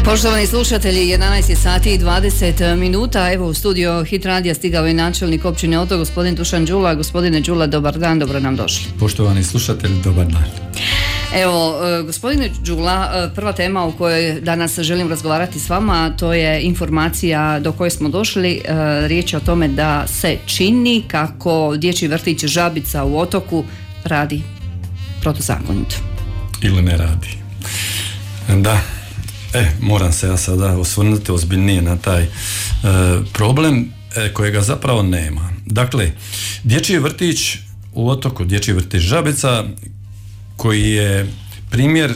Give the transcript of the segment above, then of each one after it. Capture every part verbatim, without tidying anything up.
Poštovani slušatelji, jedanaest je sati i dvadeset minuta. Evo u studio Hit radija stigao je načelnik općine Otok, gospodin Dušan Đula. Gospodine Đula, dobar dan, dobro nam došli. Poštovani slušatelji, dobar dan. Evo, gospodine Đula, prva tema o kojoj danas želim razgovarati s vama, to je informacija do koje smo došli. Riječ je o tome da se čini kako dječji vrtić Žabica u Otoku radi protuzakonito. Ili ne radi. Da. E, moram se ja sada osvrnuti ozbiljnije na taj e, problem e, kojega zapravo nema. Dakle, dječji vrtić u Otoku, dječji vrtić Žabica, koji je primjer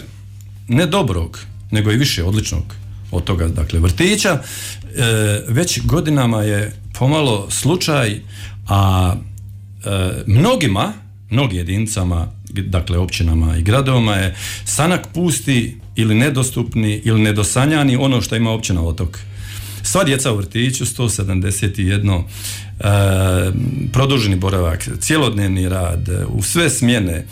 ne dobrog, nego i više odličnog od toga, dakle, vrtića, e, već godinama je pomalo slučaj, a e, mnogima, mnogim jedinicama, dakle općinama i gradovima je sanak pusti ili nedostupni ili nedosanjani ono što ima općina Otok. Sva djeca u vrtiću, sto sedamdeset jedan, e, produženi boravak, cjelodnevni rad, u sve smjene,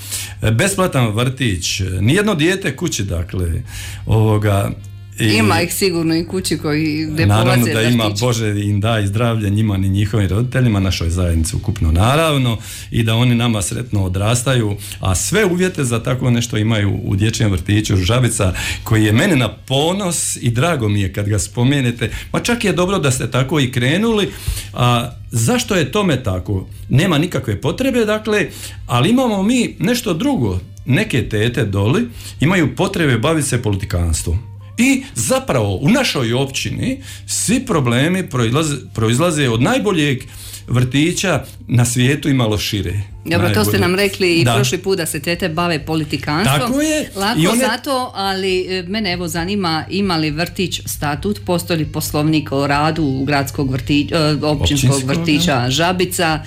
besplatan vrtić, nijedno dijete kući, dakle, ovoga. I ima ih sigurno i kući koji ne naravno polaze da vrtić. Ima, Bože im daj zdravlje njima ni njihovim roditeljima, našoj zajednici ukupno naravno, i da oni nama sretno odrastaju, a sve uvjete za tako nešto imaju u dječjem vrtiću Žabica, koji je meni na ponos i drago mi je kad ga spomenete, ma čak je dobro da ste tako i krenuli. A zašto je tome tako? Nema nikakve potrebe, dakle, ali imamo mi nešto drugo. Neke tete doli imaju potrebe baviti se politikanstvom. I zapravo u našoj općini svi problemi proizlaze, proizlaze od najboljeg vrtića na svijetu i malo šire. Dobro, najbolje. To ste nam rekli i da. prošli put da se tete bave politikanstvom. Tako je. Lako I one... zato, ali mene evo zanima, ima li vrtić statut, postoji li poslovnik o radu gradskog vrtića, općinskog, općinskog vrtića da. Žabica.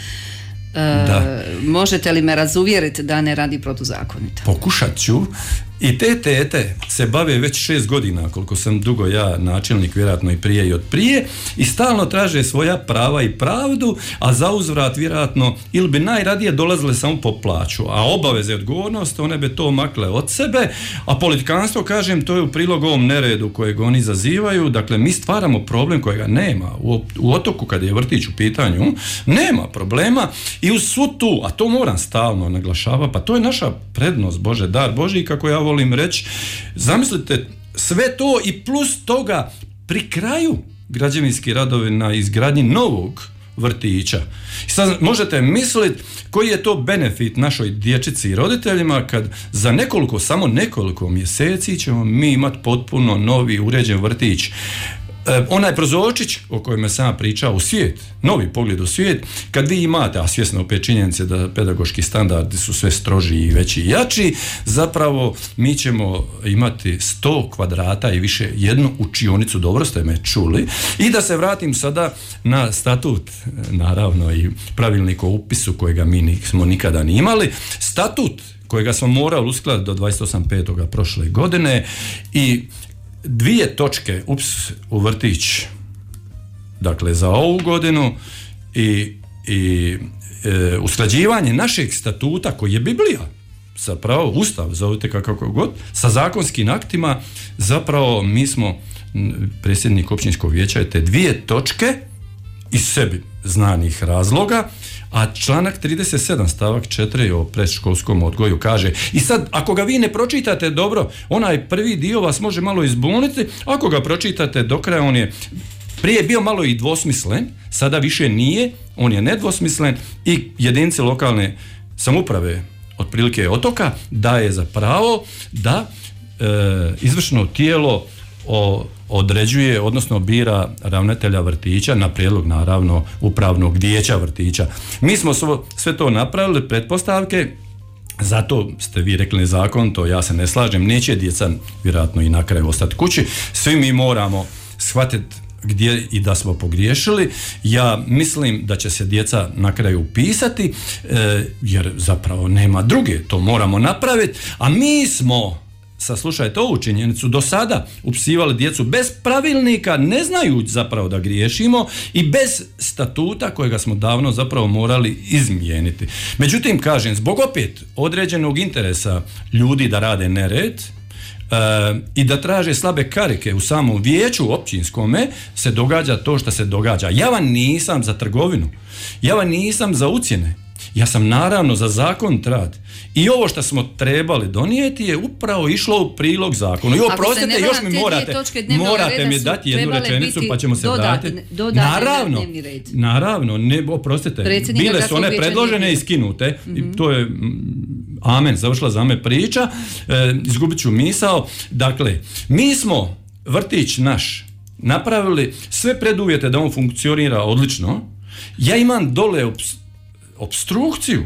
E, možete li me razuvjeriti da ne radi protuzakonito? Pokušat ću. I te tete se bave već šest godina, koliko sam dugo ja načelnik, vjerojatno i prije i od prije, i stalno traže svoja prava i pravdu, a za uzvrat vjerojatno ili bi najradije dolazile samo po plaću, a obaveze i odgovornost one bi to makle od sebe, a politikanstvo, kažem, to je u prilog ovom neredu kojeg oni zazivaju. Dakle, mi stvaramo problem kojega nema. U, u Otoku, kad je vrtić u pitanju, nema problema, i uz svu tu, a to moram stalno naglašavati, pa to je naša prednost, Bože, dar Božji, kako ja volim reći. Zamislite sve to i plus toga pri kraju građevinski radovi na izgradnji novog vrtića. I sad možete misliti koji je to benefit našoj dječici i roditeljima kad za nekoliko, samo nekoliko mjeseci ćemo mi imati potpuno novi uređen vrtić. E, onaj prozorčić o kojem sam pričao u svijet, novi pogled u svijet, kad vi imate, a svjesno opet činjenice da pedagoški standardi su sve stroži i veći i jači, zapravo mi ćemo imati sto kvadrata i više, jednu učionicu, dobro ste me čuli. I da se vratim sada na statut, naravno, i pravilnik o upisu kojega mi nismo nikada ni imali. Statut kojega smo morali uskladiti do dvadeset osmog petog prošle godine, i dvije točke ups u vrtić, dakle za ovu godinu, i, i e, usklađivanje našeg statuta koji je Biblija, zapravo Ustav, zovite kako god, sa zakonskim aktima. Zapravo mi smo, predsjednik općinskog vijeća je te dvije točke iz sebi znanih razloga, a članak trideset sedam stavak četiri o predškolskom odgoju kaže, i sad ako ga vi ne pročitate dobro, onaj prvi dio vas može malo izbuniti, ako ga pročitate do kraja, on je prije bio malo i dvosmislen, sada više nije, on je nedvosmislen, i jedinice lokalne samouprave otprilike Otoka daje za pravo da e, izvršno tijelo o, određuje, odnosno bira ravnatelja vrtića na prijedlog, naravno, upravnog vijeća vrtića. Mi smo svo, sve to napravili, pretpostavke, zato ste vi rekli nezakonito, ja se ne slažem, neće djeca vjerojatno i na kraju ostati kući. Svi mi moramo shvatiti gdje i da smo pogriješili. Ja mislim da će se djeca na kraju upisati, e, jer zapravo nema druge, to moramo napraviti, a mi smo, saslušajte ovu činjenicu, do sada upisivali djecu bez pravilnika, ne znajući zapravo da griješimo, i bez statuta kojega smo davno zapravo morali izmijeniti. Međutim, kažem, zbog opet određenog interesa ljudi da rade nered, i da traže slabe karike u samom vijeću općinskome, se događa to što se događa. Ja vam nisam za trgovinu, ja vam nisam za ucjene, ja sam naravno za zakon rad. I ovo što smo trebali donijeti je upravo išlo u prilog zakonu. I oprostite, još mi morate, morate mi dati jednu rečenicu pa ćemo se vratiti. Naravno, naravno, ne, oprostite, bile su one predložene i skinute. Mm-hmm. To je, amen, završila za me priča, e, izgubit ću misao. Dakle, mi smo vrtić naš napravili sve preduvjete da on funkcionira odlično. Ja imam dole obs- opstrukciju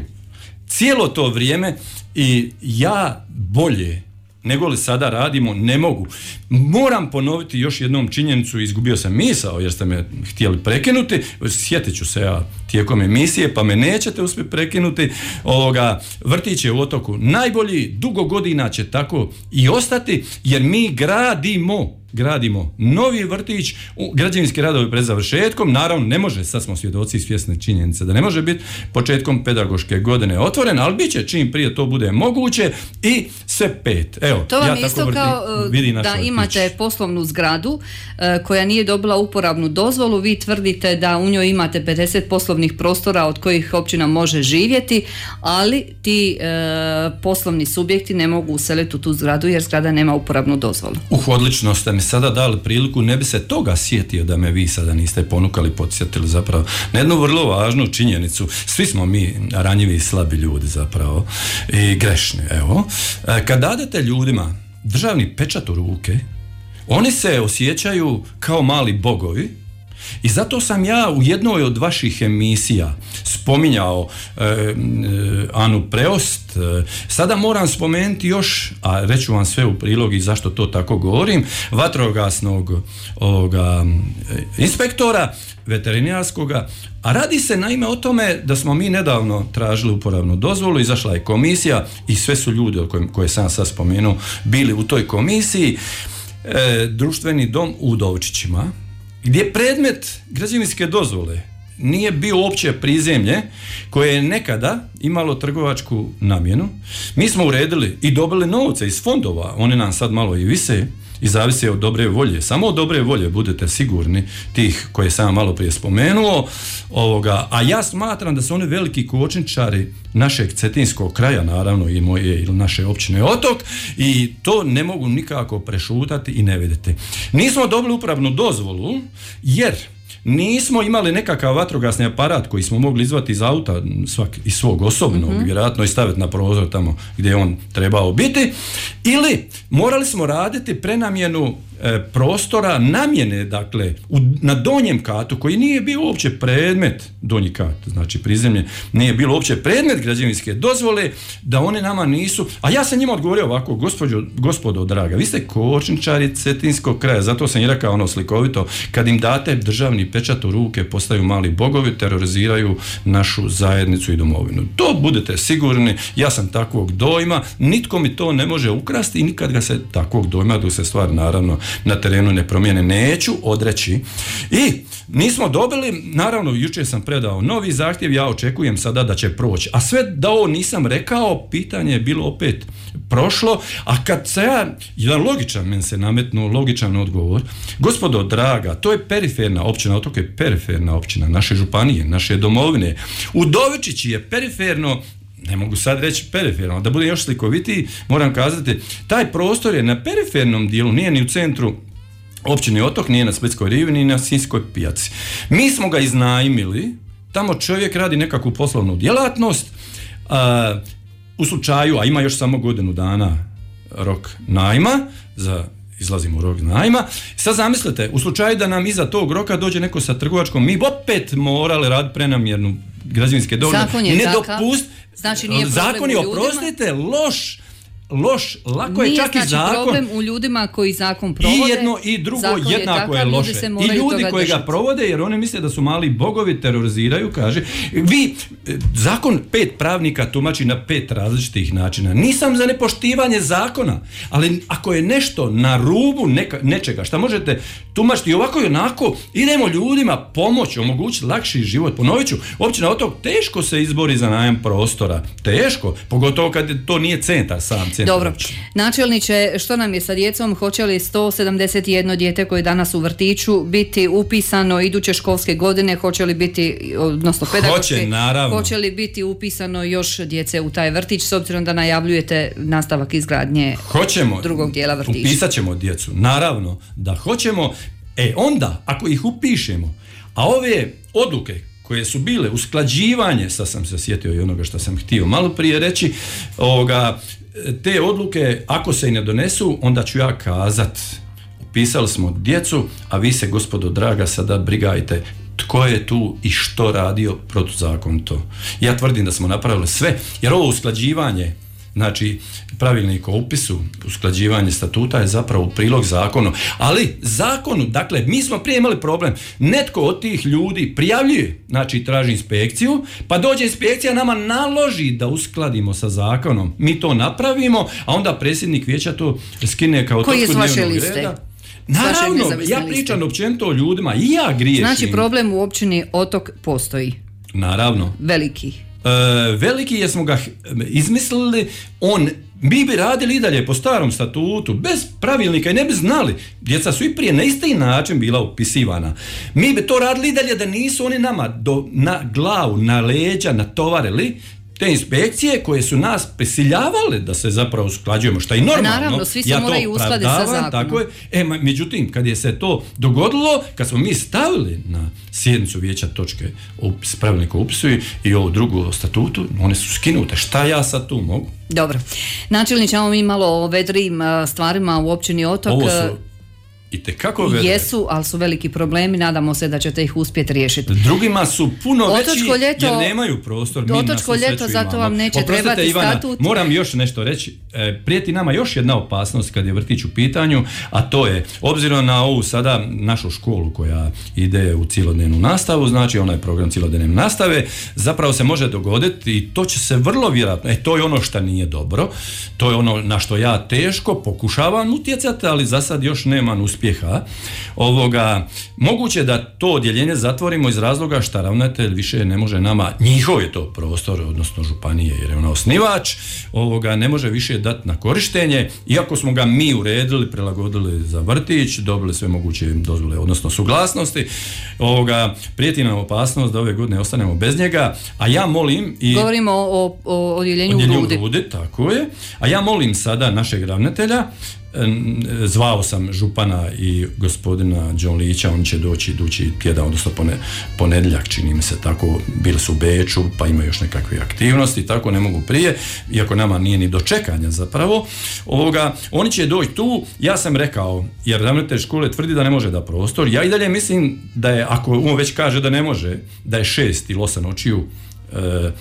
cijelo to vrijeme i ja bolje nego li sada radimo ne mogu. Moram ponoviti još jednom činjenicu, izgubio sam misao jer ste me htjeli prekinuti, sjetit ću se ja tijekom emisije pa me nećete uspjeti prekinuti. Ovoga, vrtić je u Otoku najbolji, dugo godina će tako i ostati jer mi gradimo gradimo novi vrtić, građevinski radovi pred završetkom, naravno ne može, sad smo svjedoci svjesne činjenice da ne može biti početkom pedagoške godine otvoren, ali bit će čim prije to bude moguće i sve pet. Evo, to vam ja je isto vrti, kao da imate vrtić. Poslovnu zgradu e, koja nije dobila uporabnu dozvolu, vi tvrdite da u njoj imate pedeset poslovnih prostora od kojih općina može živjeti, ali ti e, poslovni subjekti ne mogu useliti u tu zgradu jer zgrada nema uporabnu dozvolu. Uh, odlično ste mi sada dali priliku, ne bi se toga sjetio da me vi sada niste ponukali, podsjetili zapravo na jednu vrlo važnu činjenicu. Svi smo mi ranjivi i slabi ljudi zapravo i grešni. Evo, kad dadete ljudima državni pečat u ruke, oni se osjećaju kao mali bogovi. I zato sam ja u jednoj od vaših emisija spominjao e, e, Anu Preost. E, sada moram spomenuti još, a reću vam sve u prilog i zašto to tako govorim, vatrogasnog ovoga, inspektora veterinarskoga, a radi se naime o tome da smo mi nedavno tražili uporabnu dozvolu, izašla je komisija i sve su ljudi koje, koje sam sad spomenuo bili u toj komisiji. E, društveni dom u Udovčićima, gdje predmet građevinske dozvole nije bio uopće prizemlje koje je nekada imalo trgovačku namjenu. Mi smo uredili i dobili novce iz fondova, one nam sad malo i vise i zavise od dobre volje. Samo od dobre volje budete sigurni tih koje sam malo prije spomenuo. Ovoga, a ja smatram da su oni veliki kočničari našeg cetinskog kraja, naravno i moje ili naše općine Otok, i to ne mogu nikako prešutati i ne vidjeti. Nismo dobili upravnu dozvolu jer nismo imali nekakav vatrogasni aparat koji smo mogli izvati iz auta svak, iz svog osobnog, mm-hmm. vjerojatno i staviti na prozor tamo gdje je on trebao biti, ili morali smo raditi prenamjenu e, prostora namjene, dakle u, na donjem katu koji nije bio uopće predmet, donji kat, znači prizemlje, nije bilo uopće predmet građevinske dozvole, da one nama nisu, a ja sam njima odgovorio ovako, gospođo, gospodo draga, vi ste kočničari cetinskog kraja, zato sam i rekao ono slikovito, kad im date državni pečat u ruke, postaju mali bogovi, teroriziraju našu zajednicu i domovinu. To budete sigurni, ja sam takvog dojma, nitko mi to ne može ukrasti i nikad ga se takvog dojma, dok se stvar naravno na terenu ne promijene, neću odreći. I nismo dobili, naravno jučer sam predao novi zahtjev, ja očekujem sada da će proći. A sve da ovo nisam rekao, pitanje je bilo opet prošlo, a kad se ja, jedan logičan, men se nametnuo logičan odgovor, gospodo draga, to je periferna općina, Otok je periferna općina, naše županije, naše domovine. Udovičići je periferno, ne mogu sad reći periferno, da budem još slikovitiji, moram kazati, taj prostor je na perifernom dijelu, nije ni u centru općine Otok, nije na Splitskoj rivi, ni na Sinjskoj pijaci. Mi smo ga iznajmili, tamo čovjek radi nekakvu poslovnu djelatnost, a, u slučaju, a ima još samo godinu dana rok najma, za izlazimo u rok najma. Sad zamislite, u slučaju da nam iza tog roka dođe neko sa trgovačkom, mi opet morali raditi prenamjernu građevinske dozvole. Zakon je takav. Dopust... Znači nije problem zakon je, oprostite, loš, loš, lako je čak znači i zakon. Nije problem u ljudima koji zakon provode. I jedno i drugo zakon jednako je, je loše. I ljudi koji ga provode, jer oni misle da su mali bogovi, teroriziraju, kaže. Vi, zakon pet pravnika tumači na pet različitih načina. Nisam za nepoštivanje zakona, ali ako je nešto na rubu neka, nečega, šta možete tumačiti ovako i onako, idemo ljudima pomoći, omogućiti lakši život. Ponovit ću, općina Otok teško se izbori za najam prostora. Teško, pogotovo kad to nije centar sam. centar. Dobro, načelniče, što nam je sa djecom? Hoće li sto sedamdeset jedno dijete koje je danas u vrtiću biti upisano iduće školske godine? Hoće li biti, odnosno pedagoške, hoće, naravno. Hoće li biti upisano još djece u taj vrtić, s obzirom da najavljujete nastavak izgradnje Hoćemo, drugog dijela vrtića? Upisat ćemo djecu, naravno da hoćemo. E onda, ako ih upišemo, a ove odluke koje su bile usklađivanje, sad sam se sjetio i onoga što sam htio malo prije reći, ovoga, te odluke ako se i ne donesu, onda ću ja kazat, upisali smo djecu, a vi se, gospodo draga, sada brigajte tko je tu i što radio protuzakonito. Ja tvrdim da smo napravili sve, jer ovo usklađivanje, znači pravilnik o upisu, usklađivanje statuta je zapravo u prilog zakonu, ali zakonu, dakle, mi smo prije imali problem, netko od tih ljudi prijavljuje, znači traži inspekciju, pa dođe inspekcija, nama naloži da uskladimo sa zakonom, mi to napravimo, a onda predsjednik vijeća to skine kao točku dnevnog reda. Naravno, ja pričam općenito o ljudima i ja griješim. Znači problem u općini Otok postoji. Naravno. Veliki. E, veliki jer smo ga izmislili, on, mi bi radili i dalje po starom statutu, bez pravilnika i ne bi znali. Djeca su i prije na isti način bila upisivana. Mi bi to radili i dalje da nisu oni nama do, na glavu, na leđa natovarili te inspekcije koje su nas prisiljavale da se zapravo usklađujemo, što je i normalno. Naravno, svi se ja moraju uskladiti sa zakonom. Tako je. E, međutim, kad je se to dogodilo, kad smo mi stavili na sjednicu vijeća točke upis, pravilnika o upisu i ovu drugu o statutu, one su skinute. Šta ja sad tu mogu? Dobro. Načelniče, imamo mi malo o vedrim stvarima u općini Otok. Ovo su itekako vedre. Jesu, ali su veliki problemi, nadamo se da ćete ih uspjeti riješiti. Drugima su puno Otočko veći ljeto, jer nemaju prostor. Mi Otočko ljeto, zato vam neće Oprostite, trebati Ivana, statut. Moram još nešto reći. E, prijeti nama još jedna opasnost kad je vrtić u pitanju, a to je, obzirom na ovu sada našu školu koja ide u cjelodnevnu nastavu, znači onaj program cjelodnevne nastave, zapravo se može dogoditi i to će se vrlo vjerojatno, e to je ono što nije dobro, to je ono na što ja teško pokušavam utjecati, ali za sad još nemam uspjeha. Ovoga, moguće da to odjeljenje zatvorimo iz razloga što ravnatelj više ne može nama, njihov je to prostor, odnosno županije jer je ona osnivač, ovoga, ne može više dati na korištenje, iako smo ga mi uredili, prilagodili za vrtić, dobili sve moguće dozvole, odnosno suglasnosti. Ovoga, prijeti nam opasnost da ove godine ostanemo bez njega, a ja molim i... Govorimo o, o odjeljenju u Rudi. Rudi, tako je. A ja molim sada našeg ravnatelja, zvao sam župana i gospodina Đonlića, oni će doći idući tjedan, odnosno ponedjeljak, čini mi se tako, bili su u Beču, pa imaju još nekakve aktivnosti, tako ne mogu prije, iako nama nije ni do čekanja zapravo. Ovoga, oni će doći tu, ja sam rekao, jer ravnatelj škole tvrdi da ne može da prostor, ja i dalje mislim da je, ako on već kaže da ne može, da je šest ili osam očiju E, e,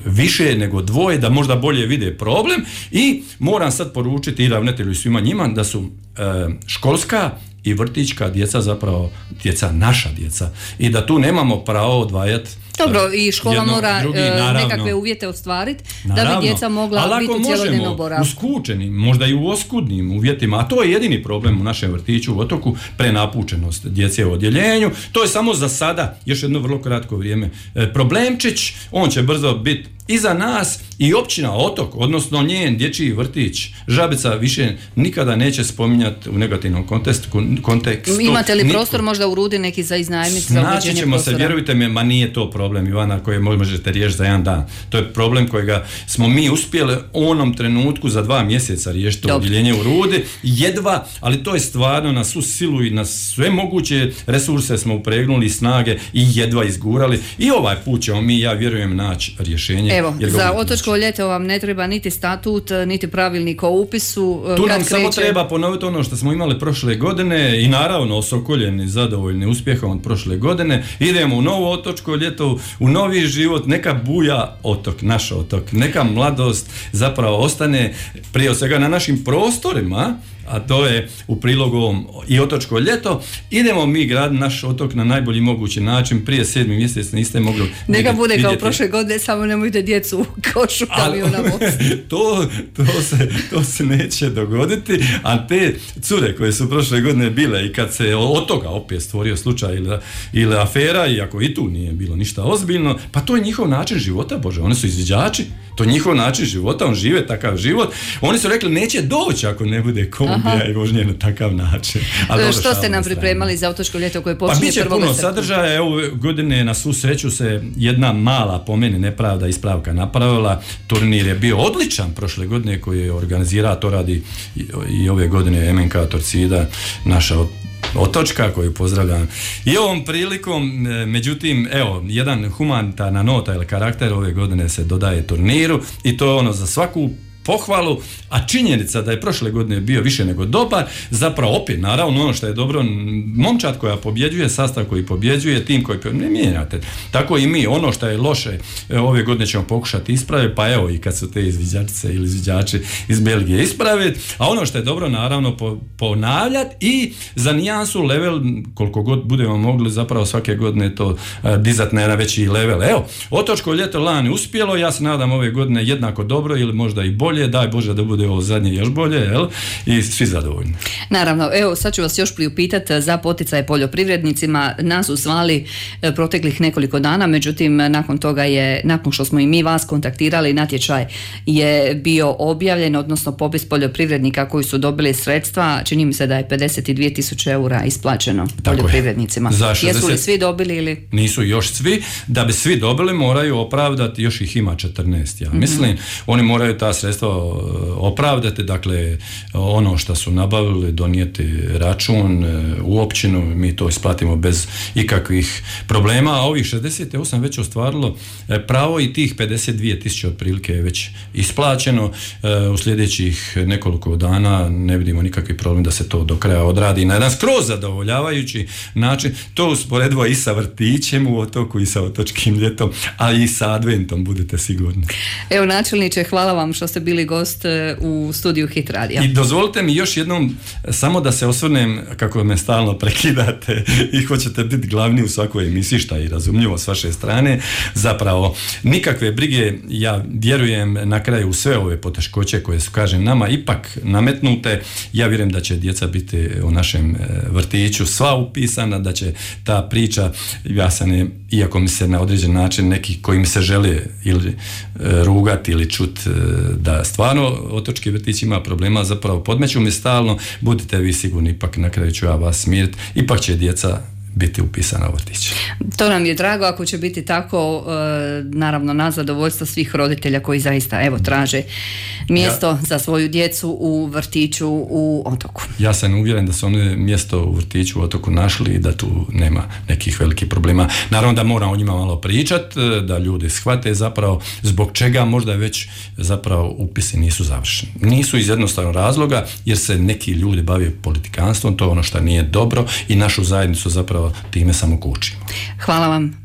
više nego dvoje, da možda bolje vide problem i moram sad poručiti i ravnatelju i svima njima da su e, školska i vrtićka djeca zapravo djeca, naša djeca i da tu nemamo pravo odvajati. Dobro, i škola jedno, mora drugi, nekakve uvjete ostvariti da bi djeca mogla biti u cjelodnevnom boravku. U skučenim, možda i u oskudnim uvjetima, a to je jedini problem u našem vrtiću u Otoku, prenapučenost djece u odjeljenju. To je samo za sada, još jedno vrlo kratko vrijeme, problemčić, on će brzo biti iza nas i općina Otok, odnosno njen dječji vrtić Žabica više nikada neće spominjati u negativnom kontekstu. kontekstu. Imate li prostor niko. Možda u Rudi neki za iznajmiti za uređenje prostora? Naći ćemo se, vjerujte mi, ma nije to problem, Ivana, koje možete riješiti za jedan dan. To je problem kojega smo mi uspjeli u onom trenutku za dva mjeseca riješiti odjeljenje u Rudi. Jedva, ali to je stvarno na svu silu i na sve moguće resurse smo upregnuli, snage i jedva izgurali. I ovaj put ćemo mi, ja vjerujem, naći rješenje. Evo, za Otočko ljeto vam ne treba niti statut, niti pravilnik o upisu. Tu nam kreće... samo treba ponoviti ono što smo imali prošle godine i naravno osokoljeni, zadovoljni uspjehom od prošle godine. Idemo u novo Otočko ljeto, u novi život, neka buja otok, naš otok, neka mladost zapravo ostane prije svega na našim prostorima, a to je u prilogu ovom i otočko ljeto. Idemo mi graditi naš otok na najbolji mogući način. Prije sedmi mjesec niste mogli neka bude vidjeti. Kao prošle godine, samo nemojte djecu u košu kamiona voziti. to, to, se, to se neće dogoditi, a te cure koje su prošle godine bile i kad se od toga opet stvorio slučaj ili, ili afera, iako i tu nije bilo ništa ozbiljno, pa to je njihov način života, Bože, oni su izviđači, to je njihov način života, on žive takav život. Oni su rekli neće doći ako ne bude kombija Aha. i vožnje na takav način. A dobro, što ste nam pripremali za otočko ljeto koje počinje pa biće puno sadržaja. Evo godine na svu sreću se jedna mala, po meni nepravda, ispravka napravila. Turnir je bio odličan prošle godine koji je organizirao, to radi i, i ove godine M N K Torcida, naša otočka koju pozdravljam i ovom prilikom. Međutim, evo, jedan humanitarna nota ili karakter ove godine se dodaje turniru i to je ono za svaku pohvalu, a činjenica da je prošle godine bio više nego dobar, zapravo opet, naravno, ono što je dobro, momčad koja pobjeđuje, sastav koji pobjeđuje, tim koji pobjeđuje, ne mijenjate. Tako i mi, ono što je loše, ove godine ćemo pokušati ispraviti, pa evo i kad su te izviđačice ili izviđači iz Belgije ispraviti, a ono što je dobro, naravno, po, ponavljati i za nijansu level, koliko god budemo mogli, zapravo svake godine to uh, dizati na jedan veći level. Evo, otočko ljeto lani uspjelo, ja se nadam ove godine jednako dobro ili možda i bolje. Daj Bože da bude ovo zadnje još bolje, jel? I svi zadovoljni. Naravno, evo sad ću vas još priupitati za poticaje poljoprivrednicima. Nas su zvali proteklih nekoliko dana, međutim nakon toga je, nakon što smo i mi vas kontaktirali, natječaj je bio objavljen, odnosno popis poljoprivrednika koji su dobili sredstva, čini mi se da je pedeset dvije tisuće eura isplaćeno tako poljoprivrednicima. šezdeset Jesu li svi dobili ili? Nisu još svi. Da bi svi dobili moraju opravdati, još ih ima četrnaest, ja mislim. Mm-hmm. Oni moraju ta sredstva opravdati, dakle ono što su nabavili, donijeti račun u općinu, mi to isplatimo bez ikakvih problema, a ovih šezdeset osam već ostvarilo pravo i tih pedeset dvije tisuće otprilike je već isplaćeno. U sljedećih nekoliko dana ne vidimo nikakvi problem da se to do kraja odradi na jedan skroz zadovoljavajući način. To usporedivo i sa vrtićem u otoku i sa otočkim ljetom, a i sa adventom, budete sigurni. Evo, načelniče, hvala vam što ste bili gost u studiju Hit radija. I dozvolite mi još jednom samo da se osvrnem, kako me stalno prekidate i hoćete biti glavni u svakoj emisiji, šta je razumljivo s vaše strane. Zapravo, nikakve brige, ja vjerujem na kraju u sve ove poteškoće koje su, kažem, nama ipak nametnute. Ja vjerujem da će djeca biti u našem vrtiću sva upisana, da će ta priča, ja sam je, iako mi se na određen način neki koji mi se žele ili rugati ili čut da stvarno otočki vrtić ima problema, zapravo podmeću mi stalno, budite vi sigurni, ipak na kraju ću ja vas smiriti, ipak će djeca biti upisana u vrtić. To nam je drago, ako će biti tako, naravno na zadovoljstvo svih roditelja koji zaista evo traže mjesto ja, za svoju djecu u vrtiću u otoku. Ja sam uvjeren da su oni mjesto u vrtiću u otoku našli i da tu nema nekih velikih problema. Naravno da moram o njima malo pričati, da ljudi shvate zapravo zbog čega možda već zapravo upisi nisu završeni. Nisu iz jednostavnog razloga jer se neki ljudi bave politikanstvom, to je ono što nije dobro i našu zajednicu zapravo time samo kučimo. Hvala vam.